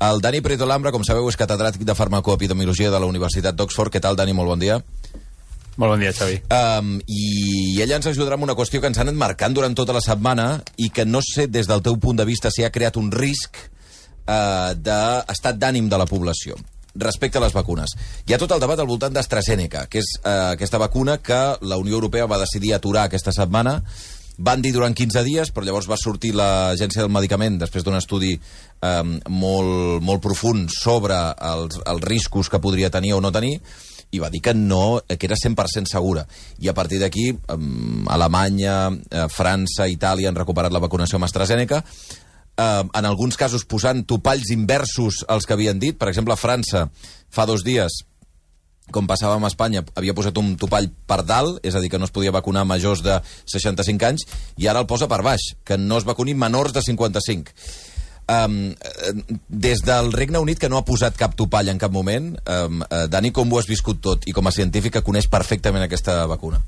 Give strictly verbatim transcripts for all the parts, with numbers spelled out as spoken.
El Dani Prieto Lambra, com sabeu, és catedràtic de farmacoepidemiologia de la Universitat d'Oxford. Què tal, Dani? Molt bon dia. Molt bon dia, Xavi. Um, I ella ens ajudarà amb una qüestió que ens han anat marcant durant tota la setmana i que no sé, des del teu punt de vista, si ha creat un risc uh, d'estat d'ànim de la població respecte a les vacunes. Hi ha tot el debat al voltant d'AstraZeneca, que és uh, aquesta vacuna que la Unió Europea va decidir aturar aquesta setmana. Van dir durant quinze dies, però llavors va sortir l'Agència del Medicament, després d'un estudi um, molt, molt profund sobre els, els riscos que podria tenir o no tenir, i va dir que no, que era cent per cent segura. I a partir d'aquí, um, Alemanya, uh, França, Itàlia han recuperat la vacunació amb AstraZeneca, uh, en alguns casos posant topalls inversos als que havien dit. Per exemple, a França, fa dos dies, com passava amb Espanya, havia posat un topall per dalt, és a dir, que no es podia vacunar majors de seixanta-cinc anys, i ara el posa per baix, que no es vacunin menors de cinquanta-cinc. Um, des del Regne Unit, que no ha posat cap topall en cap moment, um, uh, Dani, com ho has viscut tot? I com a científic que coneix perfectament aquesta vacuna.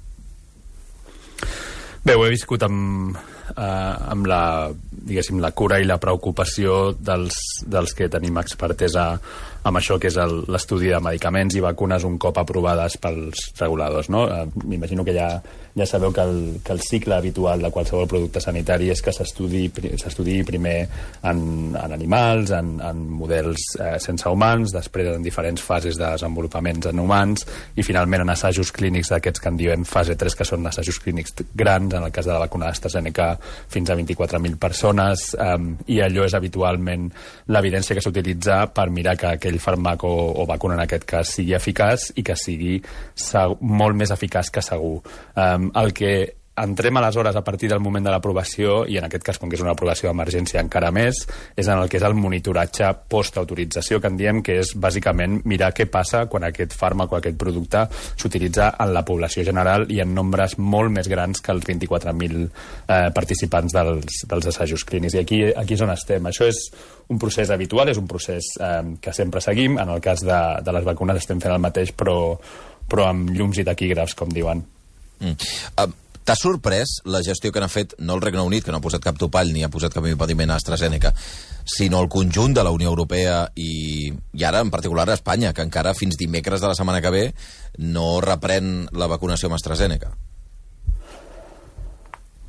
Bé, ho he viscut amb, eh, amb la, diguéssim, la cura i la preocupació dels, dels que tenim expertesa amb això que és l'estudi de medicaments i vacunes un cop aprovades pels reguladors, no? Eh, M'imagino que ja, ja sabeu que el, que el cicle habitual de qualsevol producte sanitari és que s'estudi primer en, en animals, en, en models eh, sense humans, després en diferents fases de desenvolupaments en humans i finalment en assajos clínics d'aquests que en diem fase tres, que són assajos clínics grans, en el cas de la vacuna d'AstraZeneca fins a vint-i-quatre mil persones, eh, i allò és habitualment l'evidència que s'utilitza per mirar que aquell fàrmac o, o vacuna en aquest cas sigui eficaç i que sigui segur, molt més eficaç que segur. Um, el que entrem aleshores a partir del moment de l'aprovació, i en aquest cas, com que és una aprovació d'emergència encara més, és en el que és el monitoratge post-autorització, que en diem que és bàsicament mirar què passa quan aquest fàrmac o aquest producte s'utilitza en la població general i en nombres molt més grans que els vint-i-quatre mil eh, participants dels, dels assajos clínics. I aquí, aquí és on estem. Això és un procés habitual, és un procés eh, que sempre seguim. En el cas de, de les vacunes estem fent el mateix, però, però amb llums i taquígrafs, com diuen. Mm. Uh, T'ha sorprès la gestió que n'ha fet, no el Regne Unit, que no ha posat cap topall ni ha posat cap impediment a AstraZeneca, sinó el conjunt de la Unió Europea i, i ara, en particular, a Espanya, que encara fins dimecres de la setmana que ve no reprèn la vacunació amb AstraZeneca?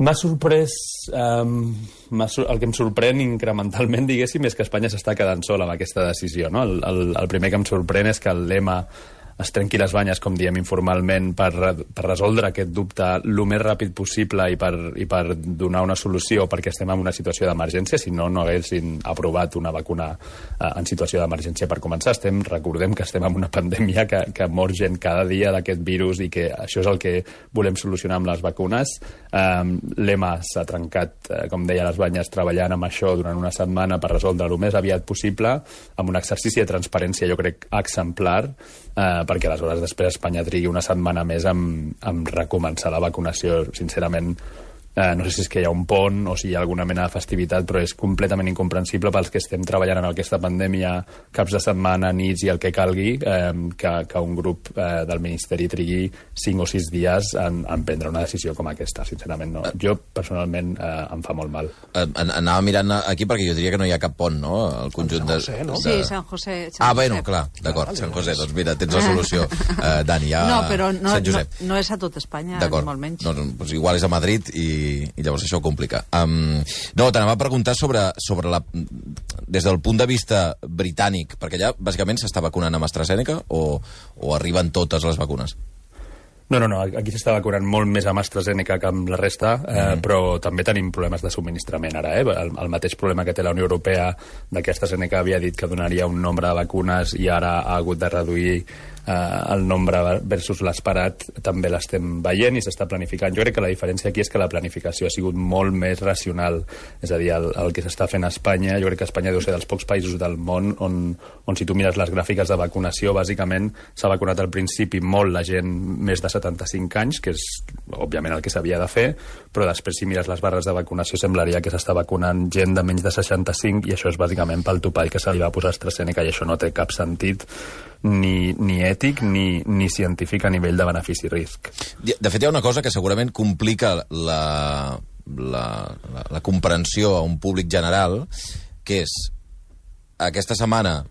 M'ha sorprès... Um, el que em sorprèn incrementalment, diguéssim, és que Espanya s'està quedant sola amb aquesta decisió, no? El, el, el primer que em sorprèn és que el lema es trenqui les banyes, com diem informalment, per, per resoldre aquest dubte el més ràpid possible i per, i per donar una solució, perquè estem en una situació d'emergència. Si no, no haguessin aprovat una vacuna eh, en situació d'emergència per començar. Estem, recordem que estem en una pandèmia que, que mor gent cada dia d'aquest virus i que això és el que volem solucionar amb les vacunes. Eh, L'EMA s'ha trencat, eh, com deia, les banyes treballant amb això durant una setmana per resoldre el més aviat possible, amb un exercici de transparència, jo crec, exemplar, eh, perquè aleshores després Espanya trigui una setmana més amb, amb recomençar la vacunació. Sincerament, eh, no sé si és que hi ha un pont o si hi ha alguna mena de festivitat, però és completament incomprensible pels que estem treballant en aquesta pandèmia caps de setmana, nits i el que calgui, eh, que, que un grup eh, del Ministeri trigui cinc o sis dies en, en prendre una decisió com aquesta. Sincerament, no. Jo, personalment, eh, em fa molt mal. Eh, anava mirant aquí perquè jo diria que no hi ha cap pont, no? El conjunt de... José, no? de... Sí, Sant José. Sant ah, bueno, clar, d'acord, Sant José. Doncs mira, tens la solució. Uh, Dani, ja... No, però no, Sant Josep. no, no és a tot Espanya, ni molt menys. No, doncs igual és a Madrid i, i llavors això ho complica. Um, no, t'anava a preguntar sobre, sobre la... des del punt de vista britànic, perquè allà bàsicament s'està vacunant amb AstraZeneca o, o arriben totes les vacunes? No, no, no, aquí s'està vacunant molt més amb AstraZeneca que amb la resta, eh, mm. però també tenim problemes de subministrament ara. Eh? El, el mateix problema que té la Unió Europea, de que AstraZeneca havia dit que donaria un nombre de vacunes i ara ha hagut de reduir eh, el nombre versus l'esperat, també l'estem veient i s'està planificant. Jo crec que la diferència aquí és que la planificació ha sigut molt més racional. És a dir, el, el que s'està fent a Espanya, jo crec que Espanya deu ser dels pocs països del món on, on si tu mires les gràfiques de vacunació, bàsicament s'ha vacunat al principi molt la gent més de setanta-cinc anys, que és òbviament el que s'havia de fer, però després si mires les barres de vacunació semblaria que s'està vacunant gent de menys de seixanta-cinc i això és bàsicament pel topall que se li va posar AstraZeneca i això no té cap sentit ni, ni ètic ni, ni científic a nivell de benefici-risc. De fet, hi ha una cosa que segurament complica la, la, la, la comprensió a un públic general, que és aquesta setmana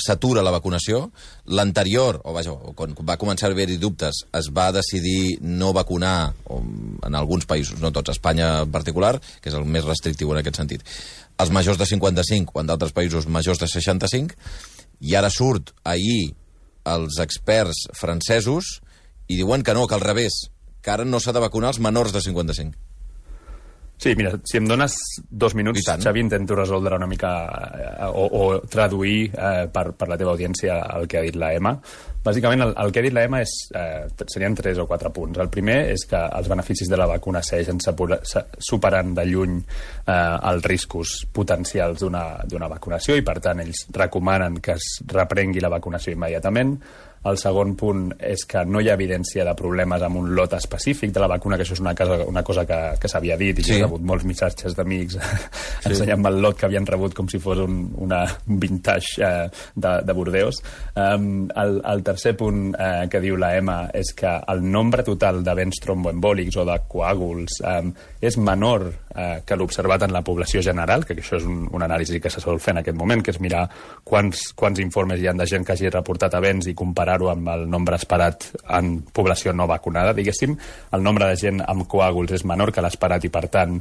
s'atura la vacunació. L'anterior, o vaja, quan va començar a haver-hi dubtes, es va decidir no vacunar, en alguns països, no tots, Espanya en particular, que és el més restrictiu en aquest sentit, els majors de cinquanta-cinc, o en d'altres països majors de seixanta-cinc, i ara surt ahir els experts francesos i diuen que no, que al revés, que ara no s'ha de vacunar els menors de cinquanta-cinc. Sí, mira, si em dones dos minuts, Xavi, intento resoldre una mica eh, o, o traduir eh, per, per la teva audiència el que ha dit la Emma. Bàsicament, el, el que ha dit la Emma és, eh, serien tres o quatre punts. El primer és que els beneficis de la vacuna segueixen superant de lluny eh, els riscos potencials d'una vacunació i, per tant, ells recomanen que es reprengui la vacunació immediatament. El segon punt és que no hi ha evidència de problemes amb un lot específic de la vacuna, que això és una cosa, una cosa que, que s'havia dit i sí. Que he rebut molts missatges d'amics sí. ensenyant-me el lot que havien rebut com si fos un, una vintage eh, de, de Bordeus. Um, el, el tercer punt eh, que diu la Emma és que el nombre total d'events tromboembòlics o de coàguls um, és menor eh, que l'observat en la població general, que això és un, un anàlisi que se sol fer en aquest moment, que és mirar quants, quants informes hi ha de gent que hagi reportat events i comparar ho amb el nombre esperat en població no vacunada, diguéssim. El nombre de gent amb coàguls és menor que l'esperat i, per tant,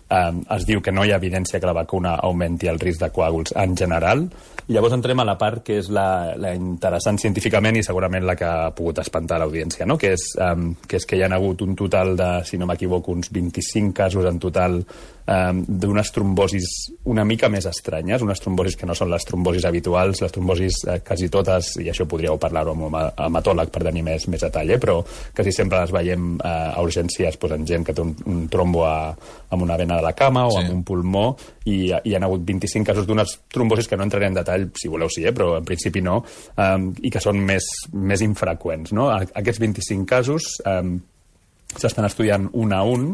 eh, es diu que no hi ha evidència que la vacuna augmenti el risc de coàguls en general. I llavors entrem a la part que és la, la interessant científicament i segurament la que ha pogut espantar l'audiència, no? que, és, um, que és que hi ha hagut un total de, si no m'equivoco, uns vint-i-cinc casos en total um, d'unes trombosis una mica més estranyes, unes trombosis que no són les trombosis habituals, les trombosis eh, quasi totes, i això podríeu parlar-ho amb un hematòleg per tenir més, més detall, eh? Però quasi sempre les veiem eh, a urgències pues, en gent que té un, un trombo a, amb una vena de la cama o sí. Amb un pulmó, i hi ha hagut vint-i-cinc casos d'unes trombosis que no entraré en detall, si voleu sí, eh, però en principi no, um, i que són més, més infreqüents. No? Aquests vint-i-cinc casos um, s'estan estudiant un a un,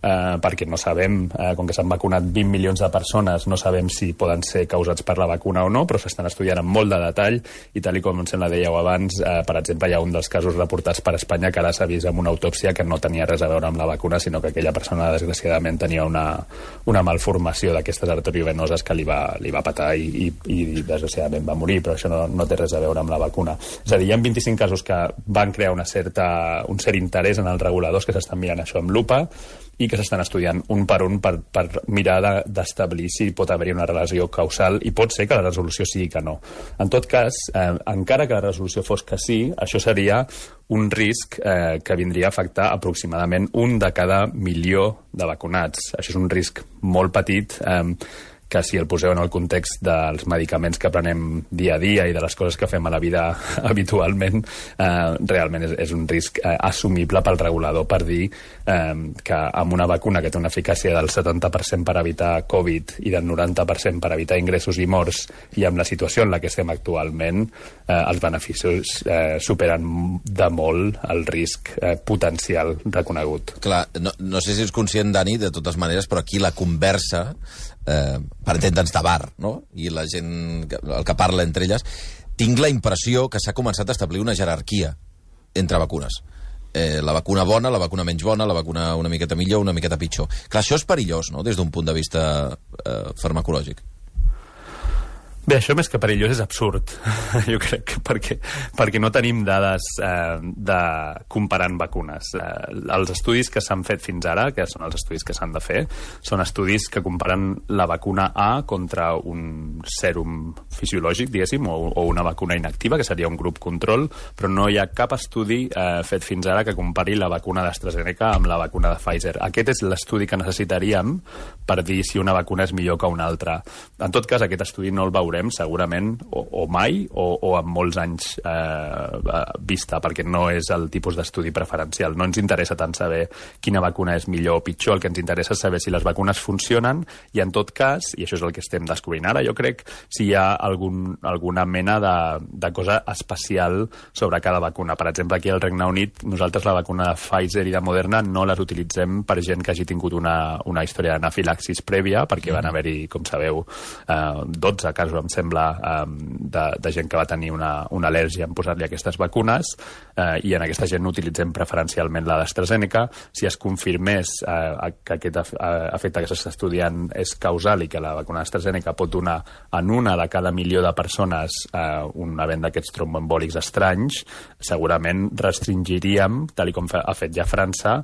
eh, perquè no sabem, eh, com que s'han vacunat vint milions de persones, no sabem si poden ser causats per la vacuna o no, però s'estan estudiant amb molt de detall, i tal i com em sembla dèieu abans, eh, per exemple, hi ha un dels casos reportats per Espanya que ara s'ha vist amb una autòpsia que no tenia res a veure amb la vacuna, sinó que aquella persona, desgraciadament, tenia una, una malformació d'aquestes arteriovenoses que li va, li va patar i, i, i desgraciadament va morir, però això no, no té res a veure amb la vacuna. És a dir, hi ha vint-i-cinc casos que van crear una certa, un cert interès en els reguladors que s'estan mirant això amb lupa i que s'estan estudiant un per un per, per mirar d'establir si pot haver-hi una relació causal, i pot ser que la resolució sigui que no. En tot cas, eh, encara que la resolució fos que sí, això seria un risc eh, que vindria a afectar aproximadament un de cada milió de vacunats. Això és un risc molt petit, eh, que si el poseu en el context dels medicaments que prenem dia a dia i de les coses que fem a la vida habitualment, eh, realment és, és un risc eh, assumible pel regulador per dir eh, que amb una vacuna que té una eficàcia del setanta per cent per evitar Covid i del noranta per cent per evitar ingressos i morts, i amb la situació en la que estem actualment, eh, els beneficis eh, superen de molt el risc eh, potencial reconegut. Clar, no, no sé si ets conscient, Dani, de totes maneres, però aquí la conversa Eh, per entendre'ns de bar, no? I la gent, el que parla entre elles, tinc la impressió que s'ha començat a establir una jerarquia entre vacunes. Eh, la vacuna bona, la vacuna menys bona, la vacuna una miqueta millor, una miqueta pitjor. Clar, això és perillós, no?, des d'un punt de vista eh, farmacològic. Bé, això més que perillós és absurd, jo crec, que perquè, perquè no tenim dades eh, de comparant vacunes. Eh, els estudis que s'han fet fins ara, que són els estudis que s'han de fer, són estudis que comparen la vacuna A contra un sèrum fisiològic, diguéssim, o, o una vacuna inactiva, que seria un grup control, però no hi ha cap estudi eh, fet fins ara que compari la vacuna d'AstraZeneca amb la vacuna de Pfizer. Aquest és l'estudi que necessitaríem per dir si una vacuna és millor que una altra. En tot cas, aquest estudi no el veurem segurament o, o mai o, o amb molts anys eh, vista, perquè no és el tipus d'estudi preferencial. No ens interessa tant saber quina vacuna és millor o pitjor, el que ens interessa és saber si les vacunes funcionen i, en tot cas, i això és el que estem descobrint ara, jo crec, si hi ha algun, alguna mena de, de cosa especial sobre cada vacuna. Per exemple, aquí al Regne Unit, nosaltres la vacuna de Pfizer i de Moderna no les utilitzem per gent que hagi tingut una, una història d'anafilaxis prèvia, perquè van haver-hi, com sabeu, eh, dotze casos però em sembla, um, de, de gent que va tenir una, una al·lèrgia en posar-li aquestes vacunes, uh, i en aquesta gent utilitzem preferencialment la d'AstraZeneca. Si es confirmés uh, que aquest efecte que s'està estudiant és causal i que la vacuna d'AstraZeneca pot donar en una de cada milió de persones uh, un event d'aquests tromboembòlics estranys, segurament restringiríem, tal com ha fet ja França,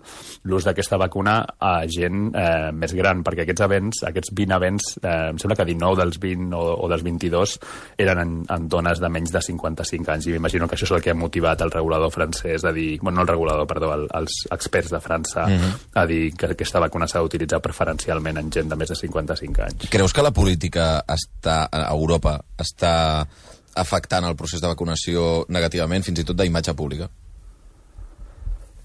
l'ús d'aquesta vacuna a gent eh, més gran, perquè aquests events, aquests vint events, eh, em sembla que dinou dels vint o, o dels vint-i-dos eren en, en dones de menys de cinquanta-cinc anys, i m'imagino que això és el que ha motivat el regulador francès a dir, bueno, no el regulador, perdó, el, els experts de França uh-huh. a dir que aquesta vacuna s'ha d'utilitzar preferencialment en gent de més de cinquanta-cinc anys. Creus que la política està, a Europa està afectant el procés de vacunació negativament, fins i tot d'imatge pública?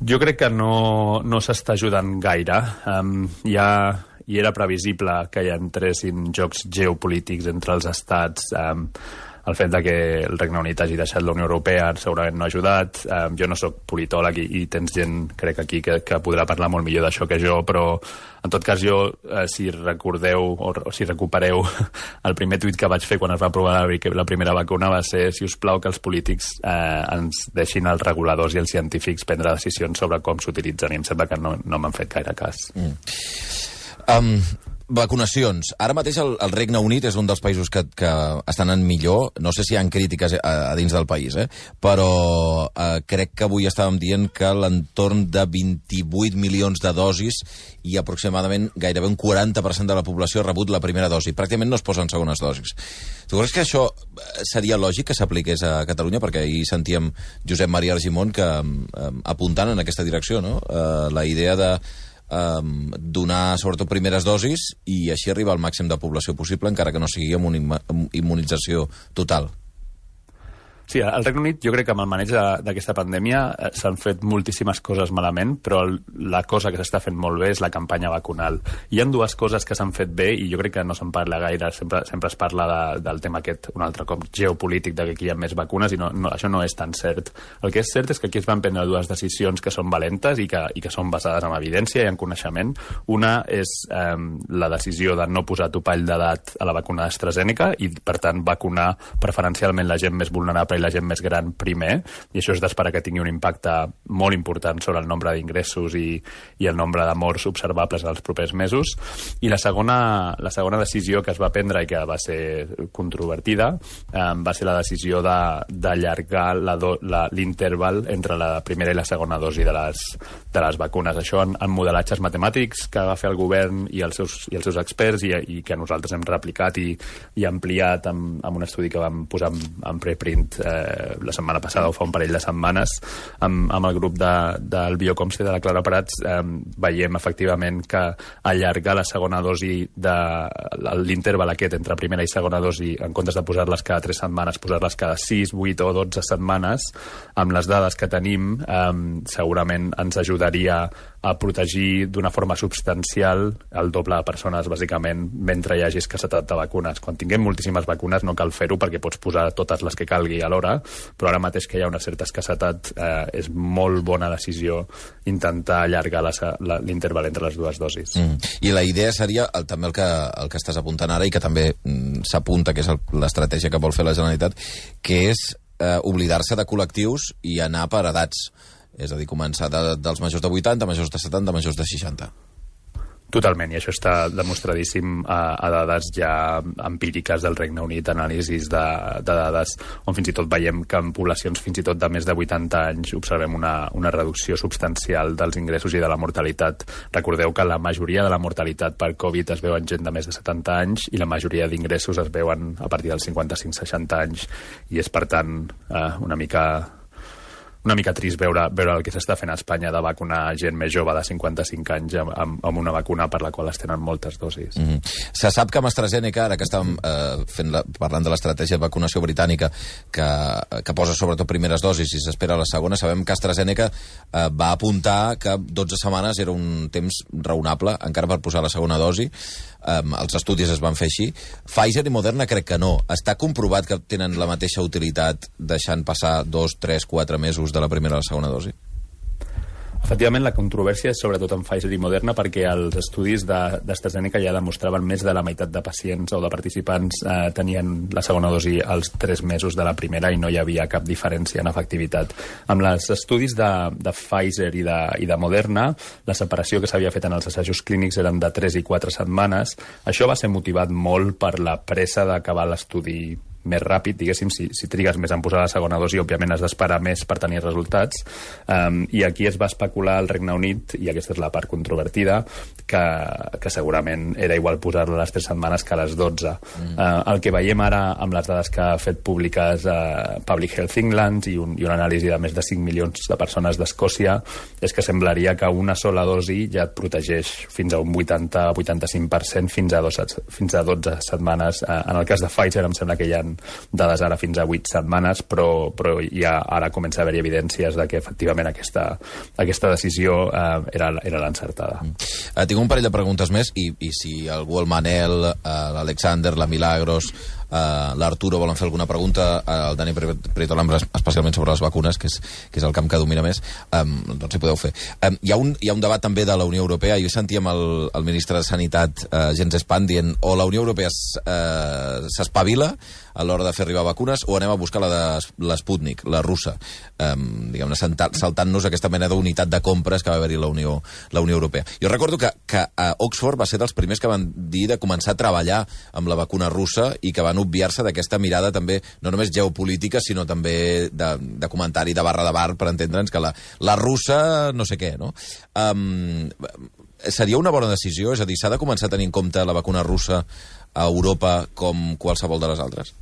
Jo crec que no, no s'està ajudant gaire. Um, ja hi era previsible que hi entressin jocs geopolítics entre els estats. Um, el fet de que el Regne Unit hagi deixat la Unió Europea segurament no ha ajudat. Um, jo no sóc politòleg i, i tens gent, crec, aquí que, que podrà parlar molt millor d'això que jo, però en tot cas jo, eh, si recordeu o, o si recupereu el primer tuit que vaig fer quan es va aprovar la, la primera vacuna va ser, si us plau, que els polítics eh, ens deixin als reguladors i els científics prendre decisions sobre com s'utilitzen, i em sembla que no, no m'han fet gaire cas. Mm. Um, vacunacions. Ara mateix el, el Regne Unit és un dels països que, que estan en millor. No sé si hi ha crítiques a, a dins del país, eh? Però eh, crec que avui estàvem dient que l'entorn de vint-i-vuit milions de dosis i aproximadament gairebé un quaranta per cent de la població ha rebut la primera dosi. Pràcticament no es posen segones dosis. Tu creus que això seria lògic que s'apliqués a Catalunya? Perquè ahir sentíem Josep Maria Argimon que eh, apuntant en aquesta direcció, no? Eh, la idea de Um, donar sobretot primeres dosis i així arribar al màxim de població possible, encara que no sigui amb una immunització total. Sí, al Regne Unit jo crec que amb el maneig d'aquesta pandèmia eh, s'han fet moltíssimes coses malament, però el, la cosa que s'està fent molt bé és la campanya vacunal. Hi ha dues coses que s'han fet bé i jo crec que no se'n parla gaire, sempre, sempre es parla de, del tema aquest, un altre cop, geopolític, de que aquí hi ha més vacunes, i no, no, això no és tan cert. El que és cert és que aquí es van prendre dues decisions que són valentes i que, i que són basades en evidència i en coneixement. Una és eh, la decisió de no posar topall d'edat a la vacuna d'AstraZeneca i, per tant, vacunar preferencialment la gent més vulnerable i la gent més gran primer, i això és d'esperar que tingui un impacte molt important sobre el nombre d'ingressos i, i el nombre de morts observables en els propers mesos. I la segona, la segona decisió que es va prendre i que va ser controvertida eh, va ser la decisió d'allargar l'interval entre la primera i la segona dosi de les, de les vacunes. Això en, en modelatges matemàtics que va fer el govern i els seus, i els seus experts i, i que nosaltres hem replicat i, i ampliat amb, amb un estudi que vam posar en, en preprint eh, la setmana passada o fa un parell de setmanes amb, amb el grup de, del Biocomste de la Clara Prats. Eh, veiem efectivament que allargar la segona dosi de l'interval aquest entre primera i segona dosi, en comptes de posar-les cada tres setmanes, posar-les cada sis, vuit o dotze setmanes, amb les dades que tenim eh, segurament ens ajudaria a protegir d'una forma substancial el doble de persones, bàsicament, mentre hi hagi escassetat de vacunes. Quan tinguem moltíssimes vacunes no cal fer-ho perquè pots posar totes les que calgui alhora, però ara mateix que hi ha una certa escassetat eh, és molt bona decisió intentar allargar l'interval entre les dues dosis. Mm. I la idea seria, el, també el que, el que estàs apuntant ara i que també mm, s'apunta, que és l'estratègia que vol fer la Generalitat, que és eh, oblidar-se de col·lectius i anar per edats. És a dir, començar de, dels majors de vuitanta, majors de setanta, majors de seixanta. Totalment, i això està demostradíssim a, a dades ja empíriques del Regne Unit, anàlisis de, de dades on fins i tot veiem que en poblacions fins i tot de més de vuitanta anys observem una, una reducció substancial dels ingressos i de la mortalitat. Recordeu que la majoria de la mortalitat per Covid es veu en gent de més de setanta anys i la majoria d'ingressos es veuen a partir dels cinquanta-cinc seixanta anys, i és, per tant, eh, una mica... una mica trist veure, veure el que s'està fent a Espanya de vacunar gent més jove de cinquanta-cinc anys amb, amb, amb una vacuna per la qual es tenen moltes dosis. Mm -hmm. Se sap que amb AstraZeneca, ara que estàvem eh, fent la, parlant de l'estratègia de vacunació britànica que, que posa sobretot primeres dosis i s'espera la segona, sabem que AstraZeneca eh, va apuntar que dotze setmanes era un temps raonable encara per posar la segona dosi. Um, els estudis es van fer així. Pfizer i Moderna crec que no. Està comprovat que tenen la mateixa utilitat deixant passar dos, tres, quatre mesos de la primera a la segona dosi? Efectivament, la controvèrsia és sobretot en Pfizer i Moderna perquè els estudis d'AstraZeneca ja demostraven més de la meitat de pacients o de participants eh, tenien la segona dosi als tres mesos de la primera i no hi havia cap diferència en efectivitat. Amb els estudis de, de Pfizer i de, i de Moderna, la separació que s'havia fet en els assajos clínics eren de tres i quatre setmanes. Això va ser motivat molt per la pressa d'acabar l'estudi més ràpid, diguéssim, si, si trigues més en posar la segona dosi, òbviament has d'esperar més per tenir resultats, um, i aquí es va especular al Regne Unit, i aquesta és la part controvertida, que, que segurament era igual posar-la a les tres setmanes que a les dotze. Mm. Uh, el que veiem ara amb les dades que ha fet públiques uh, Public Health England i un, i una anàlisi de més de cinc milions de persones d'Escòcia és que semblaria que una sola dosi ja et protegeix fins a un vuitanta a vuitanta-cinc per cent fins a, dos, fins a dotze setmanes. Uh, en el cas de Pfizer em sembla que hi ha dades ara fins a vuit setmanes, però, però ja ara comença a haver-hi evidències de que efectivament aquesta, aquesta decisió eh, era, era l'encertada. Mm. Uh, tinc un parell de preguntes més i, i si algú, el Manel, uh, l'Alexander, la Milagros, Uh, l'Arturo volen fer alguna pregunta, uh, el Dani Prieto Lambra especialment sobre les vacunes, que és, que és el camp que domina més, um, doncs hi podeu fer. Um, hi, ha un, hi ha un debat també de la Unió Europea. Jo sentíem el, el ministre de Sanitat, uh, Jens Spahn, dient o la Unió Europea s'espavila uh, a l'hora de fer arribar vacunes o anem a buscar la de l'Sputnik, la russa, um, diguem-ne, saltant-nos aquesta mena d'unitat de compres que va haver-hi la Unió, la Unió Europea. Jo recordo que, que a Oxford va ser dels primers que van dir de començar a treballar amb la vacuna russa i que van obviar-se d'aquesta mirada també, no només geopolítica, sinó també de, de comentari de barra de bar, per entendre'ns que la, la russa no sé què, no? Um, seria una bona decisió? És a dir, s'ha de començar a tenir en compte la vacuna russa a Europa com qualsevol de les altres?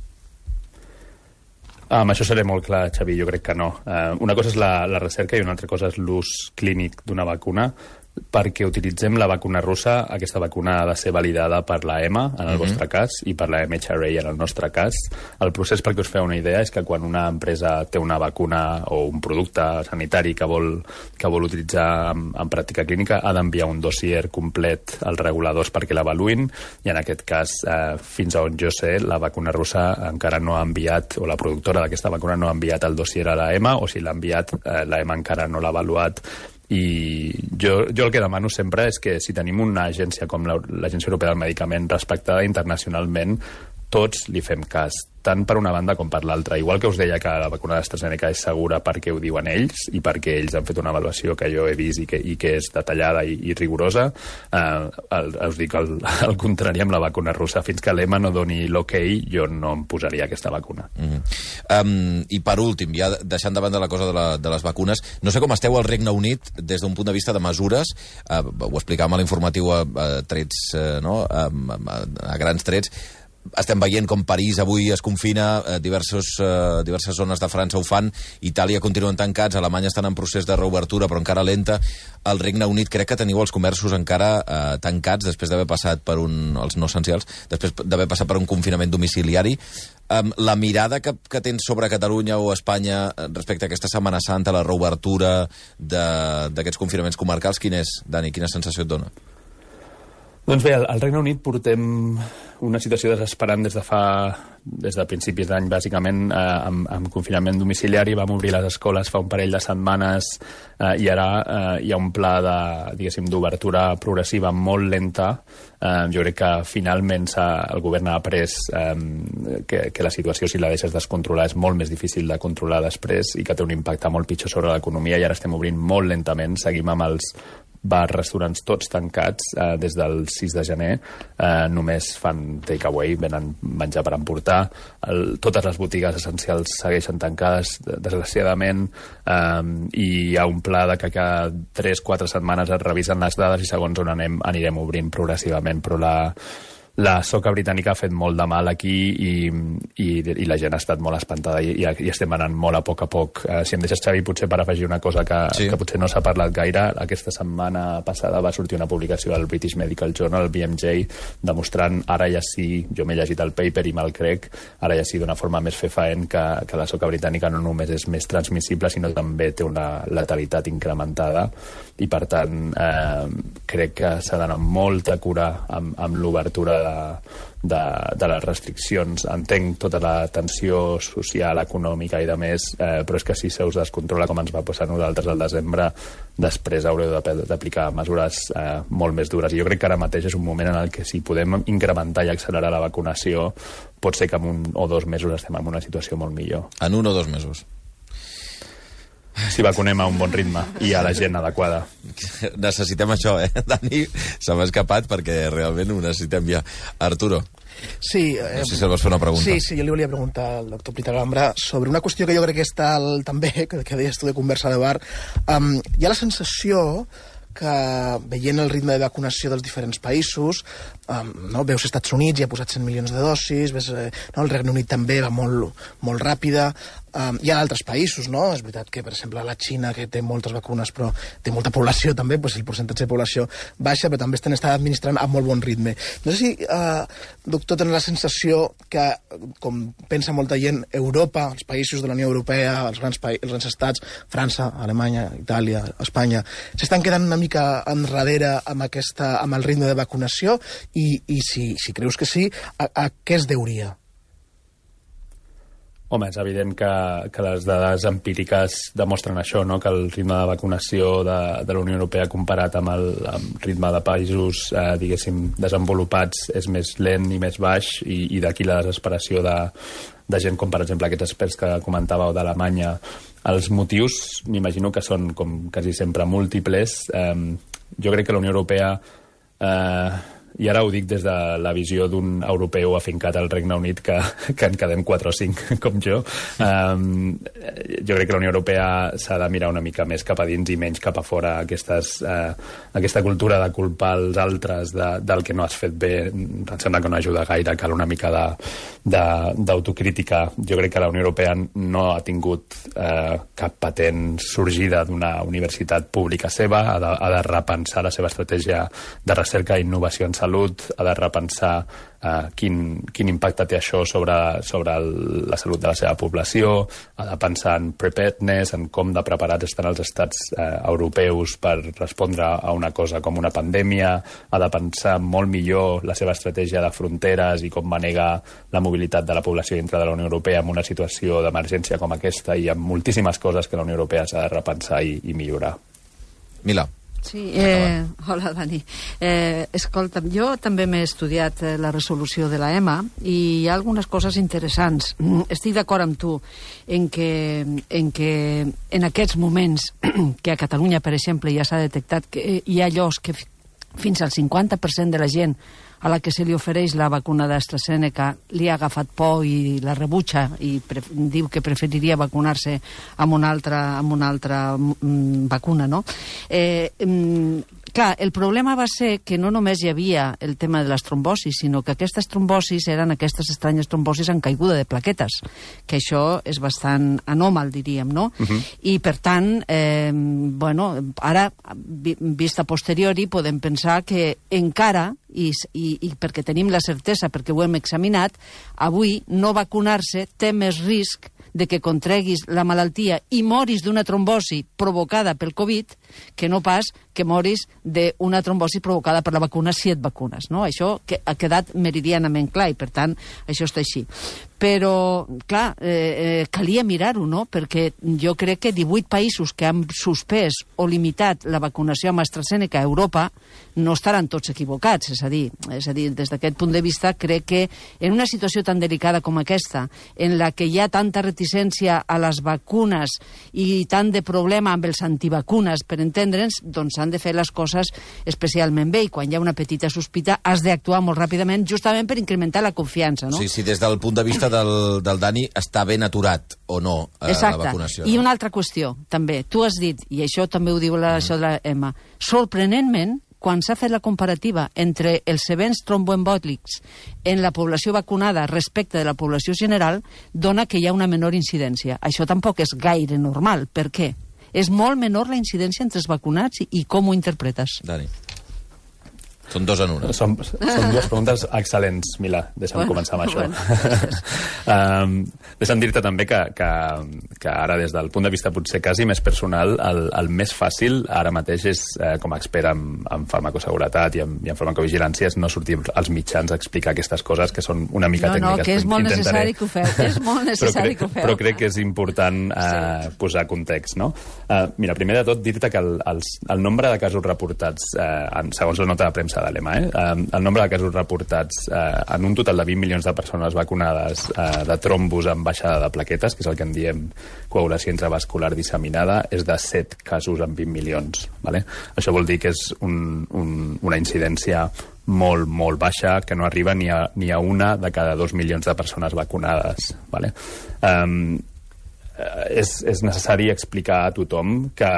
Amb això seré molt clar, Xavi, jo crec que no. Uh, una cosa és la, la recerca i una altra cosa és l'ús clínic d'una vacuna. Perquè utilitzem la vacuna russa, aquesta vacuna ha de ser validada per la EMA, en el uh-huh. vostre cas, i per la M H R A, en el nostre cas. El procés, perquè us feu una idea, és que quan una empresa té una vacuna o un producte sanitari que vol, que vol utilitzar en, en pràctica clínica, ha d'enviar un dossier complet als reguladors perquè l'avaluïn, i en aquest cas, eh, fins a on jo sé, la vacuna russa encara no ha enviat, o la productora d'aquesta vacuna no ha enviat el dossier a la EMA, o si l'ha enviat, eh, la EMA encara no l'ha avaluat. I jo, jo el que demano sempre és que si tenim una agència com l'Agència Europea del Medicament respectada internacionalment, tots li fem cas, tant per una banda com per l'altra. Igual que us deia que la vacuna d'AstraZeneca és segura perquè ho diuen ells i perquè ells han fet una avaluació que jo he vist i que, i que és detallada i, i rigorosa, eh, el, us dic el, el contrari amb la vacuna russa. Fins que l'E M A no doni l'ok, jo no em posaria aquesta vacuna. Mm-hmm. um, I per últim, ja deixant de banda la cosa de, la, de les vacunes, no sé com esteu al Regne Unit des d'un punt de vista de mesures, uh, ho explicàvem a l'informatiu a, a trets, uh, no? a, a, a grans trets. Estem veient com París avui es confina, eh, diversos, eh, diverses zones de França ho fan, Itàlia continuen tancats, Alemanya estan en procés de reobertura però encara lenta, el Regne Unit crec que teniu els comerços encara eh, tancats després d'haver passat per un, els no essencials, després d'haver passat per un confinament domiciliari. Um, la mirada que, que tens sobre Catalunya o Espanya respecte a aquesta Setmana Santa, la reobertura d'aquests confinaments comarcals, quin és, Dani? Quina sensació et dona? Doncs bé, al Regne Unit portem una situació desesperant des de fa des de principis d'any, bàsicament, eh, amb, amb confinament domiciliari. Vam obrir les escoles fa un parell de setmanes eh, i ara eh, hi ha un pla de, diguéssim, d'obertura progressiva molt lenta. Eh, jo crec que finalment el govern ha après eh, que, que la situació, si la deixes descontrolar, és molt més difícil de controlar després i que té un impacte molt pitjor sobre l'economia, i ara estem obrint molt lentament. Seguim amb els bars, restaurants tots tancats eh, des del sis de gener, eh, només fan takeaway, venen menjar per emportar. El, totes les botigues essencials segueixen tancades, desgraciadament, eh, i hi ha un pla de que cada tres quatre setmanes es revisen les dades i segons on anem anirem obrint progressivament, però la la soca britànica ha fet molt de mal aquí i, i, i la gent ha estat molt espantada i, i estem anant molt a poc a poc. Uh, si em deixes, Xavi, potser per afegir una cosa que, sí. que potser no s'ha parlat gaire, aquesta setmana passada va sortir una publicació al British Medical Journal, el B M J, demostrant ara ja sí, jo m'he llegit el paper i me'l crec, ara ja sí d'una forma més fefaent que, que la soca britànica no només és més transmissible, sinó també té una letalitat incrementada i, per tant, eh, crec que s'ha d'anar amb molta cura amb, amb l'obertura de de, de, de les restriccions. Entenc tota la tensió social, econòmica i de més, eh, però és que si se us descontrola com ens va passar a nosaltres al desembre, després haureu d'aplicar mesures eh, molt més dures. I jo crec que ara mateix és un moment en el que si podem incrementar i accelerar la vacunació, pot ser que en un o dos mesos estem en una situació molt millor. En un o dos mesos. Si vacunem a un bon ritme i a la gent adequada. Necessitem això, eh? Dani se m'ha escapat perquè realment ho necessitem ja. Arturo. Sí, eh, no sé si el vas fer una pregunta. Sí, sí, jo li volia preguntar al doctor Peter Gambra sobre una qüestió que jo crec que està al, també, que, que deies tu de conversa de bar. Um, hi ha la sensació que veient el ritme de vacunació dels diferents països, um, no? Veus Estats Units, ja ha posat cent milions de dosis, ves, eh, no? El Regne Unit també va molt, molt ràpida, um, hi ha altres països, no? És veritat que, per exemple, la Xina, que té moltes vacunes, però té molta població també, doncs el percentatge de població baixa, però també estan estan administrant a molt bon ritme. No sé si, uh, doctor, tenen la sensació que, com pensa molta gent, Europa, els països de la Unió Europea, els grans, pa els grans estats, França, Alemanya, Itàlia, Espanya, s'estan quedant una mica enrere amb, aquesta, amb el ritme de vacunació i, i si, si creus que sí, a, a què es deuria? Home, és evident que, que les dades empíriques demostren això, no? Que el ritme de vacunació de, de la Unió Europea comparat amb el amb ritme de països, eh, diguéssim, desenvolupats és més lent i més baix i, i d'aquí la desesperació de, de gent com, per exemple, aquests experts que comentàveu d'Alemanya. Els motius, m'imagino que són, com quasi sempre, múltiples. Eh, jo crec que la Unió Europea... Eh, i ara ho dic des de la visió d'un europeu afincat al Regne Unit, que, que en quedem quatre o cinc, com jo. Um, jo crec que la Unió Europea s'ha de mirar una mica més cap a dins i menys cap a fora. Aquestes, uh, aquesta cultura de culpar els altres de, del que no has fet bé, em sembla que no ajuda gaire, cal una mica d'autocrítica. Jo crec que la Unió Europea no ha tingut uh, cap patent sorgida d'una universitat pública seva, ha de, ha de repensar la seva estratègia de recerca i innovació en salut, ha de repensar uh, quin, quin impacte té això sobre, sobre el, la salut de la seva població, ha de pensar en preparedness, en com de preparats estan els estats uh, europeus per respondre a una cosa com una pandèmia, ha de pensar molt millor la seva estratègia de fronteres i com manegar la mobilitat de la població dintre de la Unió Europea en una situació d'emergència com aquesta, i amb moltíssimes coses que la Unió Europea s'ha de repensar i, i millorar. Mila. Sí, eh, hola Dani. Eh, escolta'm, jo també m'he estudiat eh, la resolució de la E M A i hi ha algunes coses interessants. Estic d'acord amb tu en que, en que en aquests moments que a Catalunya, per exemple, ja s'ha detectat que hi ha llocs que fins al cinquanta per cent de la gent a la que se li ofereix la vacuna d'AstraZeneca li ha agafat por i la rebutja i diu que preferiria vacunar-se amb una altra, amb una altra mm, vacuna, no? Eh, mm, clar, el problema va ser que no només hi havia el tema de les trombosis, sinó que aquestes trombosis eren aquestes estranyes trombosis en caiguda de plaquetes, que això és bastant anòmal, diríem, no? Uh-huh. I, per tant, eh, bueno, ara, vista posteriori, podem pensar que encara, i, i, i perquè tenim la certesa, perquè ho hem examinat, avui no vacunar-se té més risc de que contreguis la malaltia i moris d'una trombosi provocada pel Covid que no pas que moris d'una trombosi provocada per la vacuna si et vacunes, no? Això que ha quedat meridianament clar i, per tant, això està així. Però, clar, eh, eh, calia mirar-ho, no? Perquè jo crec que divuit països que han suspès o limitat la vacunació amb AstraZeneca a Europa no estaran tots equivocats, és a dir, és a dir, des d'aquest punt de vista crec que en una situació tan delicada com aquesta, en la que hi ha tanta reticència a les vacunes i tant de problema amb els antivacunes, per entendre'ns, doncs s'han de fer les coses especialment bé, i quan hi ha una petita sospita has d'actuar molt ràpidament, justament per incrementar la confiança, no? Sí, sí, des del punt de vista del, del Dani està ben aturat o no eh, la vacunació. I no? Una altra qüestió, també. Tu has dit, i això també ho diu la, mm. això de la E M A, sorprenentment, quan s'ha fet la comparativa entre els events tromboembòlics en la població vacunada respecte de la població general, dona que hi ha una menor incidència. Això tampoc és gaire normal. Per què? És molt menor la incidència entre els vacunats i, i com ho interpretes? Dani. Són dos en una. Són, són dues preguntes excel·lents, Mila. Deixa'm Bueno, començar amb això. bueno. um, deixa'm dir-te també que, que, que ara, des del punt de vista potser quasi més personal, el, el més fàcil ara mateix és, eh, com a expert en, en farmacoseguretat i en, i en farmacovigilància, és no sortir als mitjans a explicar aquestes coses que són una mica no, tècniques. No, que és molt Intentaré... necessari que ho feu. És molt necessari crec, que ho feu. Però crec que és important eh, sí. posar context, no? Uh, mira, primer de tot, dir-te que el, els, el nombre de casos reportats, eh, en, segons la nota de premsa de l'E M A, eh, eh, el nombre de casos reportats eh, en un total de vint milions de persones vacunades eh, de trombos amb baixada de plaquetes, que és el que en diem coagulació intravascular disseminada, és de set casos en vint milions. Vale? Això vol dir que és un, un, una incidència molt, molt baixa, que no arriba ni a, ni a una de cada dos milions de persones vacunades. Vale? Um, És, és necessari explicar a tothom que,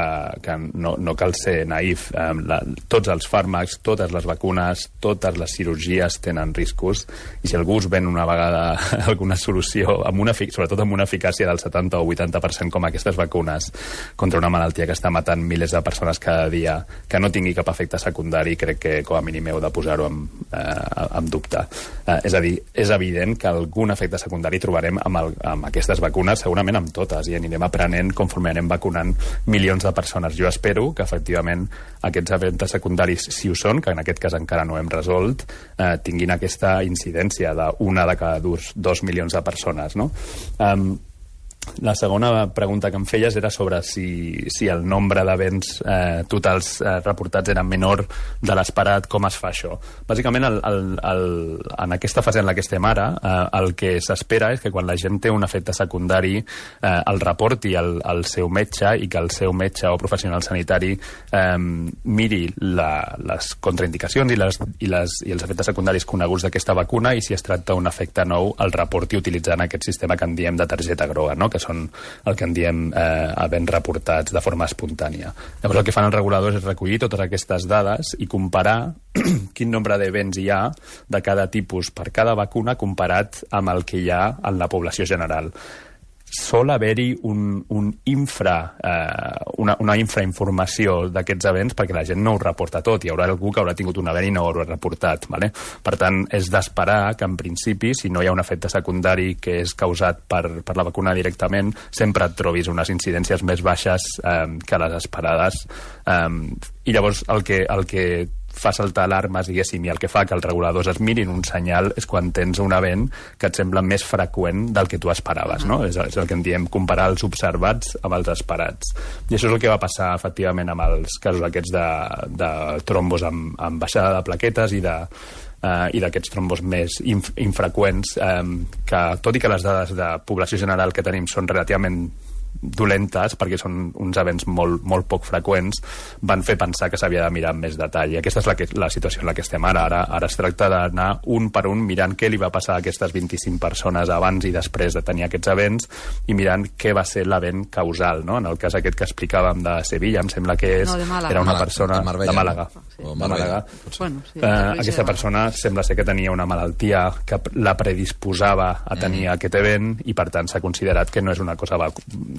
que no, no cal ser naïf. Eh, la, tots els fàrmacs, totes les vacunes, totes les cirurgies tenen riscos, i si algú us ven una vegada alguna solució, amb una, sobretot amb una eficàcia del setanta o vuitanta per cent com aquestes vacunes contra una malaltia que està matant milers de persones cada dia, que no tingui cap efecte secundari, crec que com a mínim heu de posar-ho en, eh, en dubte. Eh, és a dir, és evident que algun efecte secundari trobarem amb, el, amb aquestes vacunes, segurament amb totes, i anirem aprenent conforme anem vacunant milions de persones. Jo espero que, efectivament, aquests efectes secundaris, si ho són, que en aquest cas encara no hem resolt, eh, tinguin aquesta incidència d'una de cada dos, dos milions de persones, no? Um, La segona pregunta que em feies era sobre si, si el nombre d'events eh, totals eh, reportats era menor de l'esperat, com es fa això. Bàsicament, el, el, el, en aquesta fase en la que estem ara, eh, el que s'espera és que quan la gent té un efecte secundari eh, el reporti al, al seu metge, i que el seu metge o professional sanitari eh, miri la, les contraindicacions i, les, i, les, i els efectes secundaris coneguts d'aquesta vacuna, i si es tracta d'un efecte nou el reporti utilitzant aquest sistema que en diem de targeta groga, no? Que són el que en diem eh, havent reportats de forma espontània. Llavors el que fan els reguladors és recollir totes aquestes dades i comparar quin nombre d'events hi ha de cada tipus per cada vacuna comparat amb el que hi ha en la població general. Sol haver-hi un, un infra, eh, una, una infrainformació d'aquests events perquè la gent no ho reporta tot. Hi haurà algú que haurà tingut un event i no ho haurà reportat. Vale? Per tant, és d'esperar que en principi, si no hi ha un efecte secundari que és causat per, per la vacuna directament, sempre et trobis unes incidències més baixes eh, que les esperades. Eh, I llavors el que, el que fa saltar alarmes, diguéssim, i el que fa que els reguladors es mirin un senyal és quan tens un event que et sembla més freqüent del que tu esperaves, no? És, és el que en diem comparar els observats amb els esperats. I això és el que va passar, efectivament, amb els casos aquests de, de trombos amb, amb baixada de plaquetes i de Uh, i d'aquests trombos més inf infreqüents, um, que tot i que les dades de població general que tenim són relativament dolentes, perquè són uns events molt, molt poc freqüents, van fer pensar que s'havia de mirar amb més detall. I aquesta és la, que, la situació en la que estem ara. Ara, ara es tracta d'anar un per un mirant què li va passar a aquestes vint-i-cinc persones abans i després de tenir aquests events, i mirant què va ser l'event causal, no? En el cas aquest que explicàvem de Sevilla, em sembla que és, no, de Màlaga. era una Màlaga, persona de Marbella, de Màlaga. no? Sí. O De Màlaga. Bueno, sí, eh, aquesta persona sembla ser que tenia una malaltia que la predisposava a tenir mm. aquest event, i per tant s'ha considerat que no és una cosa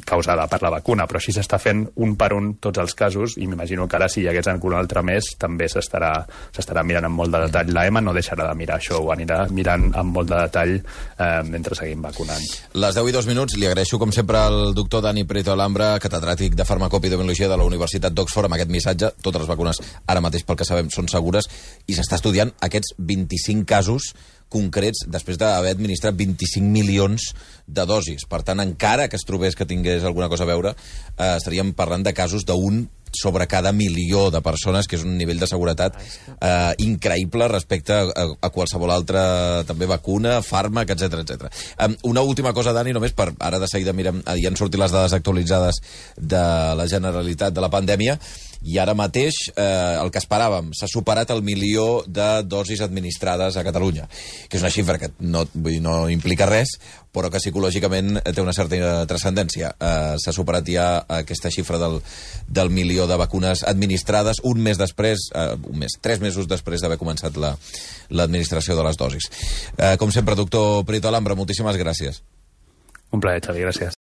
causada per la vacuna, però així s'està fent un per un tots els casos, i m'imagino que ara si hi hagués algun altre més també s'estarà s'estarà mirant amb molt de detall. L'E M A no deixarà de mirar això, ho anirà mirant amb molt de detall eh, mentre seguim vacunant. Les deu i dos minuts, li agraeixo com sempre al doctor Dani Prieto Alhambra, catedràtic de farmacopidemiologia de la Universitat d'Oxford, amb aquest missatge. Totes les vacunes ara mateix, pel que sabem, són segures, i s'està estudiant aquests vint-i-cinc casos concrets després d'haver administrat vint-i-cinc milions de dosis. Per tant, encara que es trobés que tingués alguna cosa a veure, eh, estaríem parlant de casos d'un sobre cada milió de persones, que és un nivell de seguretat eh, increïble respecte a, a qualsevol altra també vacuna, fàrmac, etcètera etcètera. Um, una última cosa, Dani, només per ara de seguida mirem, ja han sortit les dades actualitzades de la Generalitat de la pandèmia, i ara mateix eh, el que esperàvem, s'ha superat el milió de dosis administrades a Catalunya, que és una xifra que no, vull dir, no implica res, però que psicològicament té una certa transcendència. Eh, s'ha superat ja aquesta xifra del, del milió de vacunes administrades un mes després, eh, un mes, tres mesos després d'haver començat l'administració la, de les dosis. Eh, com sempre, doctor Prieto Alhambra, moltíssimes gràcies. Un plaer, Xavi, gràcies.